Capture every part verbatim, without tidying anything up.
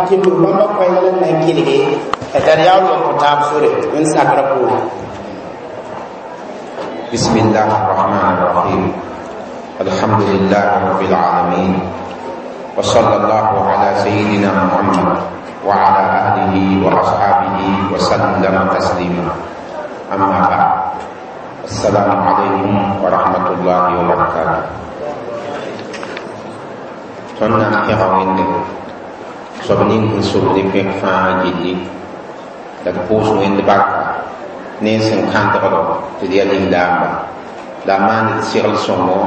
Kɩmb bãmba koɛɛg la n na n kelge t'a d yaool n kõ taab sore n sakrã poore. بسم الله الرحمن الرحيم الحمد لله رب العالمين وصلى الله على سيدنا محمد وعلى أهله وأصحابه وسلم تسليما أما بعد السلام عليكم ورحمة الله وبركاته Tõnd na n pẽga Wẽnde soab ning sẽn sobd pẽk fãa gilli la d pʋʋs Wẽnd barka ne sẽn kãndgdo tɩ d yaa lislaamba la a maan d segl sõngo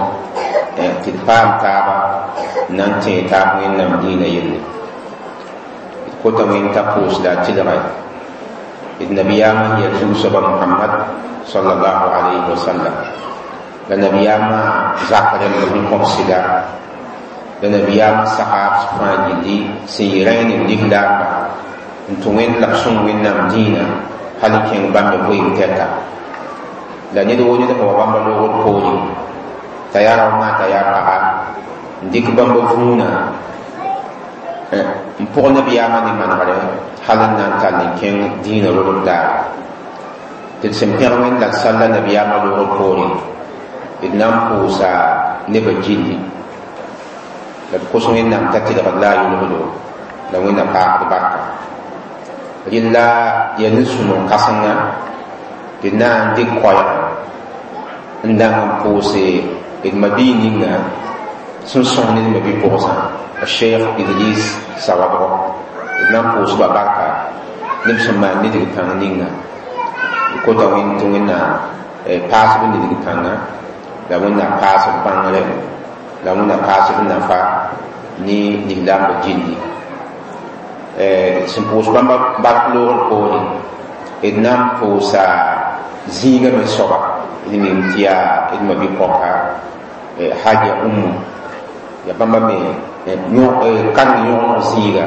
tɩ d paam taaba n na n tẽe taab Wẽnnaam dĩinã yelle. D kota Wẽnd t'a pʋʋs la a tɩlgɛ d nabiyaamã n yaa zu-soaba Mohamad sallallahu alayhi wa sallam la nabiyaamã zak rẽmb sẽn kõb sɩda la nabiyaamã sahab fãa gilli sẽn yɩ rẽ ne lislaamba n tũ Wẽnd la b sõng Wẽnnaam dĩinã hal n kẽng bãmb vɩɩm tɛka la ned woo ned sẽn wa bãmba loogd poore t'a yaa raoongã t'a yaa paga n dɩk bãmba vũunã n pʋg nabiyaamã ne manegre hal n na n tall n kẽng dĩinã rodb daare tɩ d sẽn pẽg Wẽnd la d salla nabiyaamã loogd poore d na n pʋʋsa nebã gilli la d kos Wẽnnaam t'a tɩlgd la a yʋlgdo la Wẽnna paagd barka. Rɩlla yaa nin-sõmg kãsenga tɩ d na n dɩk koɛɛga n dãng n pʋʋse d mabii ninga sẽn sõs ne d mabi-pʋgsã Cheikh Idris Sawadogo. D na n pʋʋsba barka ne b sẽn maan nidg kãng ninga. D kota Wẽnd tɩ Wẽnna paasb nidg kãnga la Wẽnna paasb bãngre la Wẽnna paasb nafa ne lislaambã gilli. Sẽn pʋʋs bãmba bark loogr poore d na n pʋʋsa zĩigã me soaba d mim tɩ yaa d mabi-pɔka Haja Umu ya bãmba me kareng yõgeneg zĩiga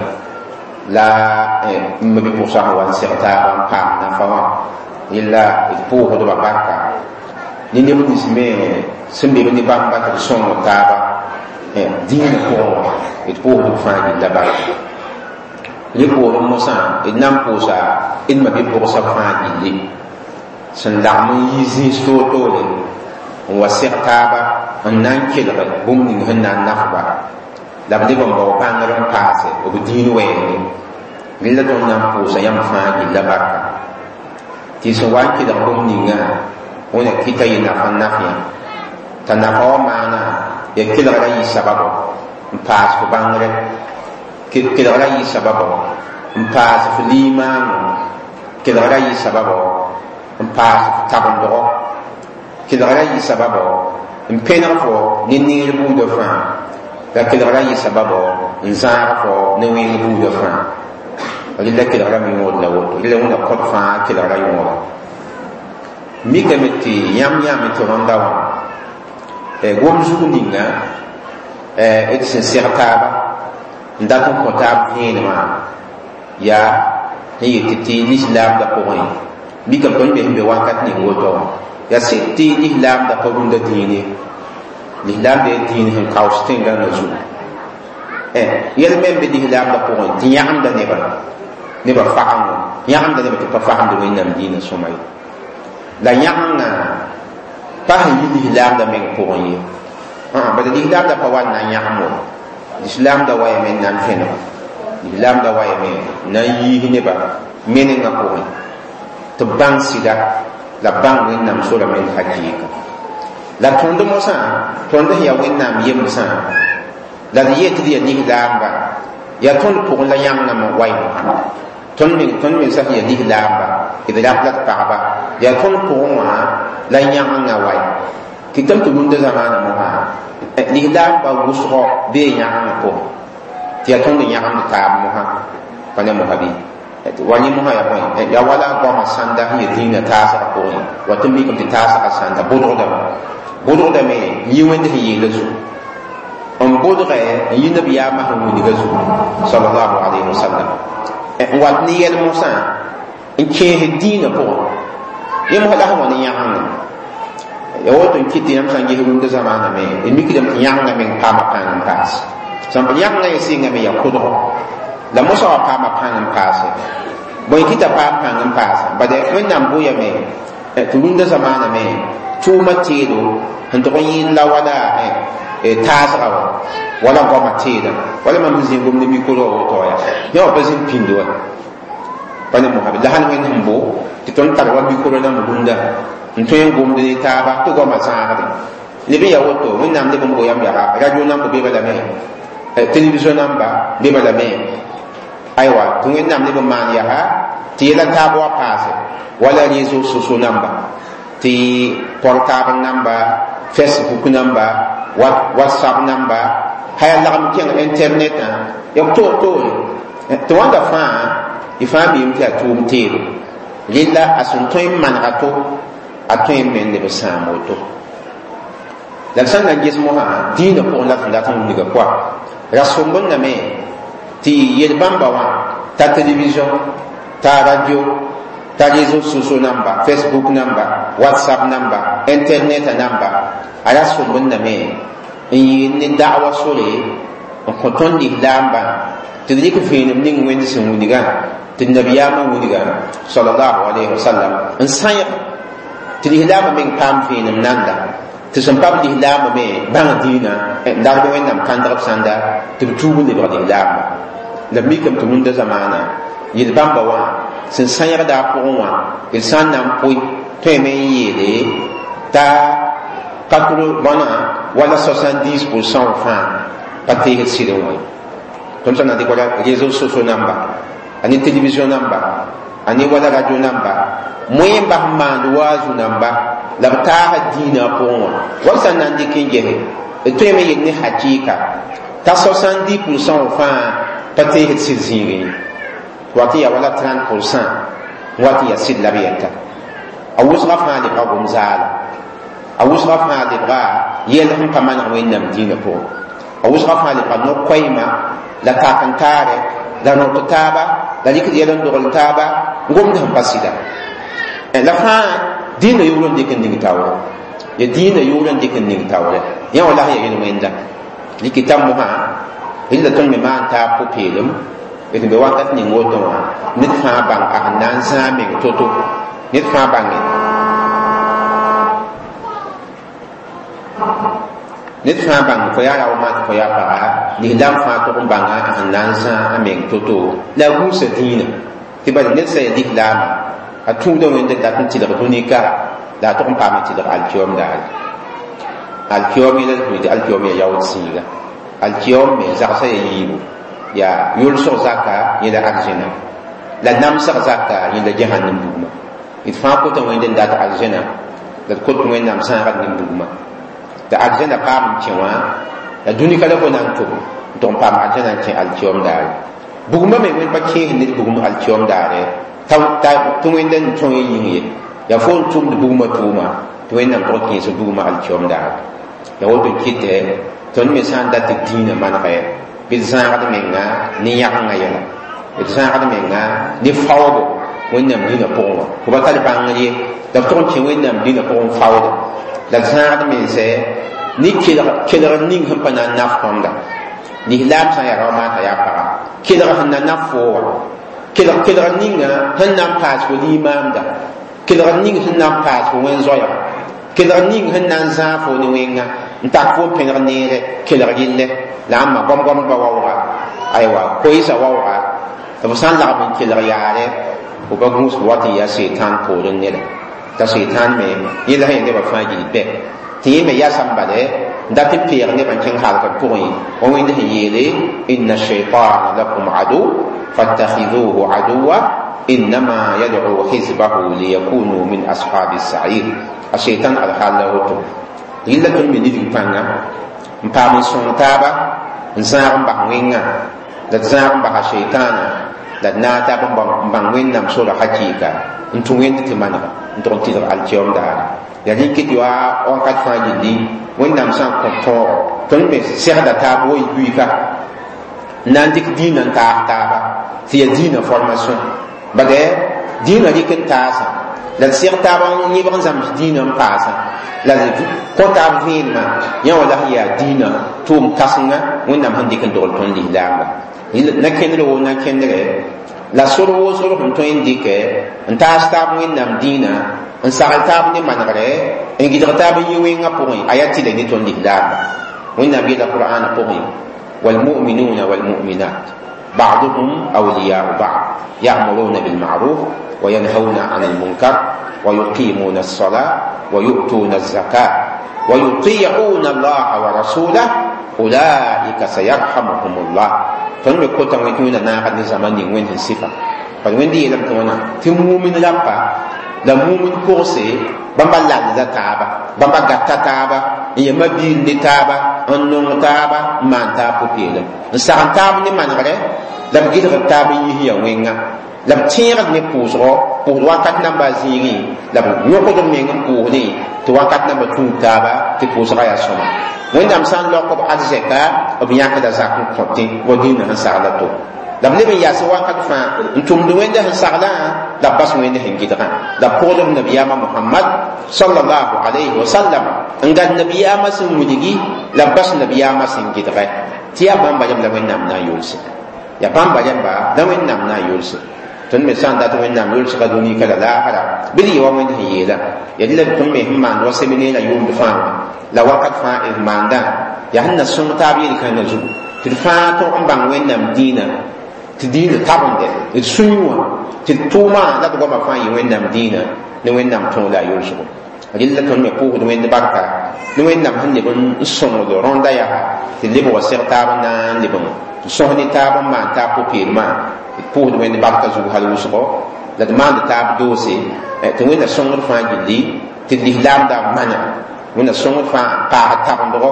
la m mabi-pʋgsã sẽn wa n seg taaba n paam nafa wã yella d pʋʋsdba barka ne neb nins me sẽn be b ne bãmba tɩ b sõng taaba dĩinã pʋgẽ wã d pʋʋsd b fãa gilla barka. Rẽ poorẽ mosã d na n pʋʋsa d mabi-pʋgsã fãa gilli sẽn lagm n yi zĩis toor-toore n wa seg taaba n na n kelg bũmb ning sẽn na n nafba la b leb n bao bãngr n paase b dĩin wɛɛngẽ. Rẽ la tõnd na n pʋʋsa yãmb fãa gilla barka tɩ sẽn wa n kelg bũmb ninga wẽna kɩta yɩ nafa n naf yã t'a nafa wã maana ya kelgra yɩ sababo n paas f bãngre kelgra yɩ sababo n paas f liimaano kelgra yɩ sababo n paas f tabendgo kelgra yɩ sababo n pẽneg fo ne neer buudã fãa la kelgra yɩ sababo n zãag fo ne wẽng buudã fãa. Rɩla kelgrame yõod la woto rɩla Wẽnna kõt fãa kelgra yõoda mikame tɩ yãmb yãame tɩ rõnda wã gom zug ninga d sẽn seg taaba n dat n kõ taab vẽenemã yaa n yet tɩ lislaamdã pʋgẽ mikame tõnd be sẽn be wakat ning woto wã yaa sɩd tɩ lislaamdã pa rũndã dĩine lislaamda yaa dĩin sẽn kaoos tẽn-gãngã zugu yɛl me n be lislaamdã pʋgẽ tɩ yãgemda nebã nebã fagengo yãgemda nebã tɩ pa fagemd Wẽnnaam dĩinã sõma ye la yãgemgã pa sẽn yi lislaamdã meng pʋgẽ ye bala lislaamdã pa wa n na n yãgem wo lislaamdã wa yame n na n vẽneg lislaamdã wa yame n na n yiis nebã menengã pʋgẽ tɩ b bãng sɩda la b bãng Wẽnnaam sora meng hakɩɩka la tõnd mosã tõnd sẽn yaa Wẽnnaam yemsã la d yet tɩ d yaa lislaamba yaa tõnd pʋgẽ la yãngã me wa mosã tõnd meng tõnd mensã sẽn yaa lislaamba d rat la d pagba yaa tõnd pʋgẽ wã la yãngã wa kɩtame tɩ rũndã zamaana mosã lislaamba wʋsgɔ bee yãgengã pʋgẽ tɩ yaa tõnd yãgemd taab mosã pa ne mosã bɩ wa yẽ mosã yaa bõe yaa wala goamã sãnda sẽn yaa dĩinã taasgã pʋgẽ wa tɩ mikame tɩ taasgã sãnda bʋdgdame bʋdgdame yĩ Wẽnd sẽn yeela zugu n bʋdgɛ n yi nabiyaamã sẽn wilga zugu sallallahu alayhi wa sallam n wat ne yɛl mosã n kẽes dĩinã pʋgẽ yẽ mosã la sẽn wa ne yãgenga ya woto n kɩt tɩ yãmb sã n ges rũndã zamaanã me d mikdame tɩ yãgenga meng paama pãng n paas sãn yãgenga ye sɩngame yaa kʋdgo La mosã wa paama pãng n paase bõe kɩta paam pãng n paasa bade Wẽnnaam boyame tɩ rũndã zamaana me tʋʋmã teedo sẽn tʋg n yẽed la wala taasga wã wala goamã teedã wala mam sẽn zĩig gomd mikro wã woto yaa yã wã pa zĩnd pĩnd wa pa ne mosabe la sãn Wẽnd sẽn bo tɩ tõnd tar wa mikro rãmb rũndã n tõe n gomd ne taaba tɩ goamã zãagde leb n yaa woto Wẽnnaam leb n bo yãmb yaa radio namba be balame télévision namba be balame aywa tɩ Wẽnnaam leb n maan yaa tɩ yɛla taab wa paase wala réseaux sociaux namba tɩ portable namba Facebook namba WhatsApp namba haya lagm kẽng internetã ya toor toore tɩ wãnda fãa y fãa miime tɩ yaa tʋʋm teedo rella a sẽn tõe n manega to a tõe n me n leb n sãam woto la d sã n na n ges mosã dĩinã pʋgẽ la tɩ dat n wilga koa ra sõmbndame tɩ yel-bãmba wã ta télévision ta radio ta réseaux sociaux namba Facebook namba WhatsApp namba internet namba a ra sõmbndame n yɩɩl ne da'wa sore n kõ tõnd lislaambã tɩ d rɩk vẽenem ning Wẽnd sẽn wilgã tɩ nabiyaamã wilgã sallallahu alayhi wa sallam n sãyg tɩ lislaambã meng paam vẽenem nanda tɩ sẽn pa b lislaambã me bãng dĩinã n darb Wẽnnaam kãndg b sãnda tɩ b tuub n lebg lislaamba la b mikame tɩ rũndã zamaana yel-bãmba wã sẽn sãyegda a pʋgẽ wã d sã n na n pʋɩ tõeme n yeele t'a quatre bõna wala soixante-dix pour cent fãa pa teesd sɩd n wã ye tõnd sã na dɩk wala réseaux sociaux namba a ne télévision namba a ne wala radio namba moẽ n bas n maand waazu namba la b taasa dĩinã a pʋgẽ wã wal sã n na n dɩk n gese d tõeme yel ne hakɩɩka t'a soixante-dix pour cent fãa pa teesd sɩd zĩigẽ ye wat n yaa wala trente pour cent wat n yaa sɩd la b yɛta a wʋsga fãa lebga gom zaala a wʋsga fãa lebga yɛl sẽn pa maneg Wẽnnaam dĩinã pʋgẽ a wʋsga fãa lebga no-koɛɛma la tak n taare la rõt taaba la rɩkd yɛl n dogl taaba gomd sẽn pa sɩda la fãa dĩinã yʋgr n dɩk n ning taoore ya dĩinã yʋgr n dɩk n ning taoore yã wã la sẽn ya yel-wẽnda rɩkɩta mosã rɩla tõnd me maan taab pʋ-peelem d be wakat ning woto wã ned fãa bãng a sẽn na n zãag meng to-to ned fãa bãnge ned fãa bãng fo yaa rao tɩ fo yaa paga lislaam fãa tʋg n bãnga a sẽn na n zãag a meng to-to la a gũusa dĩinã tɩ bala ned sã ya lislaama a tũuda Wẽnd n dat n tɩlg dũni-kara la a tʋg n paam n tɩlg alkiom daare alkiom yẽla d tɩ alkiom yaa yaood sĩiga alkiom me zagsã ya yiibu yaa yʋlsg zaka yẽla arzẽna la namsg zaka yẽla jahannam bugmã d fãa kota Wẽnd n dat arzẽna la d kot Wẽnnaam zãagd nin bugmã tɩ arzẽna paam n kẽ wã la dũni-ka la fo na n tʋm n tʋg n paam arzẽna n kẽ alkiom daare bugmã me Wẽnd pa kẽes ned bugm alkiom daare tɩ Wẽnd n tõe yĩng ye yaa fo n tʋmd bugmã tʋʋma tɩ Wẽnnaam tʋg kẽes bugmã alkiom daare ya woto kɩtɛ tõnd me sã n dat tɩ dĩinã manegɛ bɩ d zãagd menga ne yãgenga yɛla d zãagd menga ne faoogo Wẽnnaam dĩinã pʋgẽ wã fo pa tar bãngr ye la b tʋg n kẽ Wẽnnaam dĩinã pʋgẽ faooda la d zãagd mensɛ ne kelgr ning sẽn pa na n naf tõnda lislaam sã n yaa rao t'a yaa paga kelg sẽn na naf fo wã kelg kelgr ninga sẽn na n paas fo limaamda kelgr ning sẽn na n paas fo wẽn-zoɛɛga kelgr ning sẽn na n zãag fo ne wẽnga n tak fo n pẽneg neere kelg rɩllɛ la ãmba goam-goamdbã waooga aywa koeesa waooga tɩ f sã n lagm n kelg yaare fo pa gũus wat n yaa seetãan poorẽ neda t'a seetãan me yẽla sẽn ya nebã fãa gill bɛ tɩ yẽ me yasame bale n dat n peeg nebã n kẽng halgr pʋgẽ wa Wẽnd sẽn yeele inna shaitana lakum adu fattakhidhuhu aduwa innama yad'u hizbahu liyakunu min ashabi sair a seetãn alhal la woto rɩlla tõnd me nidg pãnga n paam n sõng taaba n zãag n bas wẽngã la d zãag n basa seetãana la d naag taab n bãng Wẽnnaam sora hakɩɩka n tũ Wẽnd tɩ manega n tʋg n tɩlg alkiom daare ya rẽ kɩ tɩ wa wakat fãa gilli Wẽnnaam sã n kõ tõogo tõnd me segda taab wa y buiika n na n dɩk dĩinã n taas taaba tɩ yaa dĩinã formation bade dĩinã rɩk n taasã La d seg taab n yẽbg n zãms dĩinã n paasã la d kõ taab vẽenemã yã wã la sẽn yaa dĩinã tʋʋm kãsenga Wẽnnaam sẽn dɩk n dogl tõnd lislaamba na kẽndr woo na kẽndre la sor woo sor sẽn tõe n dɩkɛ n taas taab Wẽnnaam dĩinã n sagl taab ne manegre n gɩdg taab n yi wẽngã pʋgẽ a yaa tɩla ne tõnd lislaamba Wẽnnaam yeela Qur'aanã pʋgẽ والمؤمنون والمؤمنات بعضهم أولياء بعض يأمرون بالمعروف وينهون عن المنكر ويقيمون الصلاة ويؤتون الزكاة ويطيعون الله ورسوله أولئك سيرحمهم الله. tõnd me kota wẽ tɩ Wẽnna naagd ne zãma ning Wẽnd sẽn sɩfa bad Wẽnd yeelame tɩ wãna tɩ mumin rapa la mumin kogse bãmba lalda taaba bãmba gata taaba n ya mabiir ne taaba n nong taaba n maan taab pʋ-peelem n sagn taab ne manegre la b gɩdgd taab n yis ya wẽnga la b tẽegd ne pʋʋsgɔ pʋʋsd wakat namba zĩigẽ la b yõkd b meng n pʋʋsdẽ tɩ wakat namba tũud taaba tɩ pʋʋsgã yaa sõma Wẽnnaam sã n laok b arzɛka b yãkda zak n kõtẽ wa dĩinã sẽn sagla to la b leb n yaas wakat fãa n tʋmd Wẽnda sẽn saglã la b bas Wẽnda sẽn gɩdgã la b pʋgd b nabiyaamã Mohamad sallallahu alayhi wa sallam n gad nabiyaamã sẽn wilgi la b bas nabiyaamã sẽn gɩdgɛ tɩ yaa bãmba rẽmb la Wẽnnaam na n yʋlse yaa bãmba rẽmba la Wẽnnaam na n yʋlse tõnd me sã n dat Wẽnnaam yʋlsga dũni ka la laasra bɩ d yɩ wa Wẽnd sẽn yeelã yaa dɩ la tõnd me sẽn maand wa seminɛɛrã yʋʋmd fãa wã la wakat fãa d maandã yaa sẽn na sõng taab yel-kãngã zugu tɩ d fãa tõg n bãng Wẽnnaam dĩinã tɩ dĩinã tabende d sũyẽ wã tɩ d tʋʋmã la d goamã fãa yɩ Wẽnnaam dĩinã ne Wẽnnaam tõog la a yʋlsgo rɩlla tõnd me pʋʋsd Wẽnd barka ne Wẽnnaam sẽn leb n sõngd rõnda yaa tɩ leb wa seg taab n na n leb n sõs ne taab n maan taab pʋ-peelmã d pʋʋsd Wẽnd barka zug hal wʋsgo la d maand taab doose tɩ Wẽnna sõngd fãa gilli tɩ d lislaamda mana Wẽnna sõngd fãa paasd tabendgo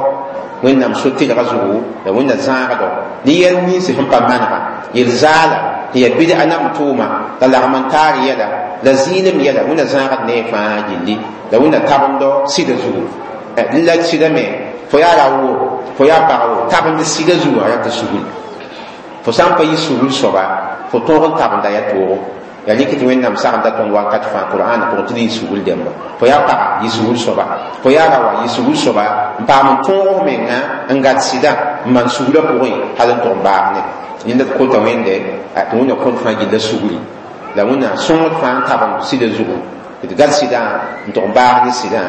Wẽnnaam so-tɩlga zugu la Wẽnna zãagdo ne yɛl ninsẽ sẽn pa manega yel zaala tɩ yaa bɩd a nam tʋʋma la lagm n taar yɛla la zɩɩlem yɛla Wẽnna zãagd ne fãa gilli la Wẽnna tabendo sɩda zugu la sɩda me fo yaa ra wo fo yaa pag wo tabend sɩda zugu a yaa tɩ sugl fo sã n pa yɩ sugl soaba fo tõog n tabenda yaa toogo yaa rɩk tɩ Wẽnnaam sagenda tõnd wakat fãa Qur'aana pʋgẽ tɩ d yɩ sugl dẽmba fo yaa paga yɩ sugl soaba fo yaa rawa yɩ sugl soaba n paam n tõog f menga n gad sɩda n maan suglã pʋgẽ hal n tʋg n baas ne yẽnda d kota Wẽnde tɩ Wẽnna kõt fãa gilla sugli la Wẽnna sõngd fãa n tabend sɩda zugu tɩ d gad sɩdã n tʋg n baas ne sɩdã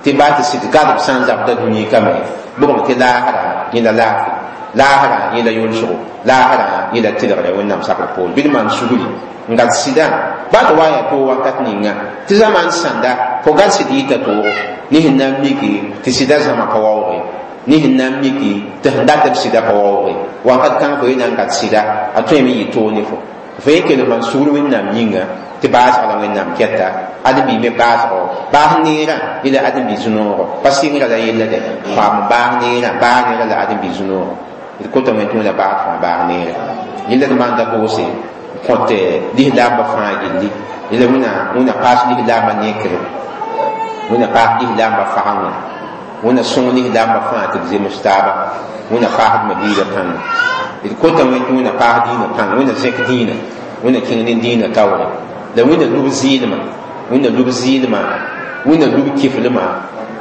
tɩ baa tɩ sɩd gadb sã n zabda dũni kame bʋgm tɩ laasra yẽla laafɩ laasrã yẽla yʋlsgo laasrã yẽla tɩlgre Wẽnnaam sakr poor bɩ d maan sugli n gad sɩdã baa tɩ wa yaa toog wakat ninga tɩ zamaan sãnda fo gad sɩd yɩta toogo ne sẽn na n miki tɩ sɩda zãma pa waooge ne sẽn na n miki tɩ sẽn dat b sɩda pa waooge wakat kãng fo ye na n gad sɩda a tõeme yɩ toog ne fo fo ye kell maan sugr Wẽnnaam yĩnga tɩ baasg la Wẽnnaam kɛta ãdem-bi me baasgo baas neerã yẽla ãdem-bi zũ-noogo pa sɩngrã la yella dɛ paam baas neerã baas neerã la ãdem-bi zũ-noogo d kota wẽn tɩ Wẽnna baas fãa baas neerã yẽla d maanda doose kõt lislaambã fãa gilli yẽla wẽna wẽna paas lislaambã nekre wẽna paas lislaambã fagenga wẽna sõng lislaambã fãa tɩ b zems taaba wẽna paasd mabiirã pãnga d kota wẽn tɩ wẽna paas dĩinã pãnga wẽna zẽk dĩinã wẽna kẽng ne dĩinã taoore la wẽna lub zɩɩlmã wẽna lub zɩɩlmã wẽna lub kiflmã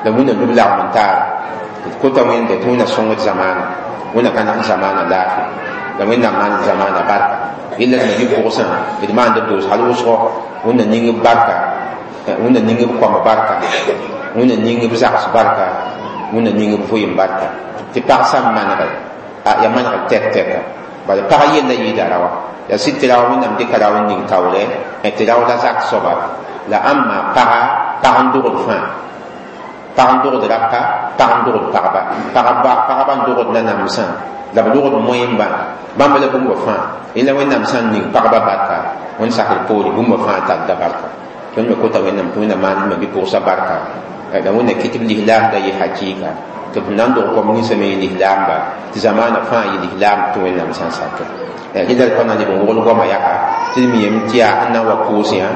la wẽna lub lagm n taara d kota wẽnde tɩ wẽna sõngd zamaana wẽna ka nag zamaana laafɩ la Wẽnnaam maand zamaana barka yella d nabi pʋgsã d maand b doos hal wʋsgo Wẽnna ning b barka Wẽnna ning b koama barka Wẽnna ning b zags barka Wẽnna ning b vʋɩɩm barka tɩ pag sã n manege yaa manegr tɛk tɛka bala pag yella yɩɩda raowa yaa sɩd tɩ rao Wẽnnaam dɩka rao n ning taoorɛ tɩ rao la zak soaba la ãmma paga pag n dogd fãa pag n dogd rapa pag n dogd pagba pagba n dogd nanamsã la b logd moẽmbã bãmb la bũmba fãa yẽla Wẽnnaam sã n ning pagba barka Wẽnd sakr poore bũmba fãa talla barka tõnd me kota Wẽnnaam tɩ Wẽnna maand ma-bi-pʋgsa barka la Wẽnna kɩ tɩ b lislaamda yɩ hakɩɩka tɩ b na n dog kom ninsã me yɩ lislaamba tɩ zamaana fãa yɩ lislaam tɩ Wẽnnaam sã n sake rɩla d pa na leb n wogl goamã yaka tɩ d mi yem tɩ yaa sẽn na n wa pʋʋs yã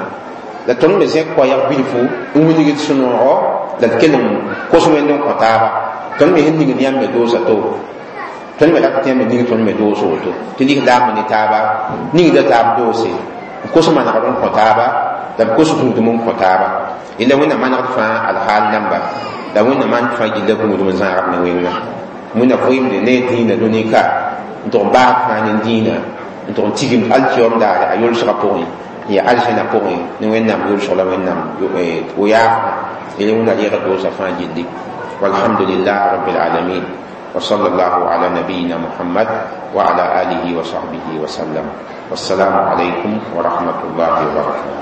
la tõnd me zẽk koɛɛg bilfu n wilgd sũ-noogo la d kell n kos Wẽnd n kõ taaba tõnd me sẽn ningd yãmb me doosa to tõnd me rat tɩ yãmb me ning tõnd me doos woto tɩ lislaambã ne taaba ningda taab doose n kos manegr n kõ taaba La b kos gũudum n kõ taaba yella wẽnnaam manegd fãa alhaal namba la wẽnnaam maan fãa gilla gũudum n zãagd ne wẽnga wẽnna vɩɩmde ne dĩinã dũni ka n tʋg n baasd fãa ne dĩinã n tʋg n tigimd alkiyoom daare a yolsgã pʋgẽ n yaa alzẽna pʋgẽ ne wẽnnaam yolsg la wẽnnaam yaafã yele wẽnna reegd doosã fãa gilli. Walhamdulillah rabbil alamin. وصلى الله على نبينا محمد وعلى آله وصحبه وسلم. والسلام عليكم ورحمة الله وبركاته.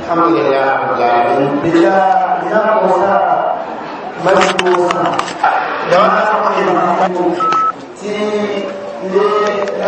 الحمد لله رب العالمين. Bila ina kosa mali kosa da wannan ti ne.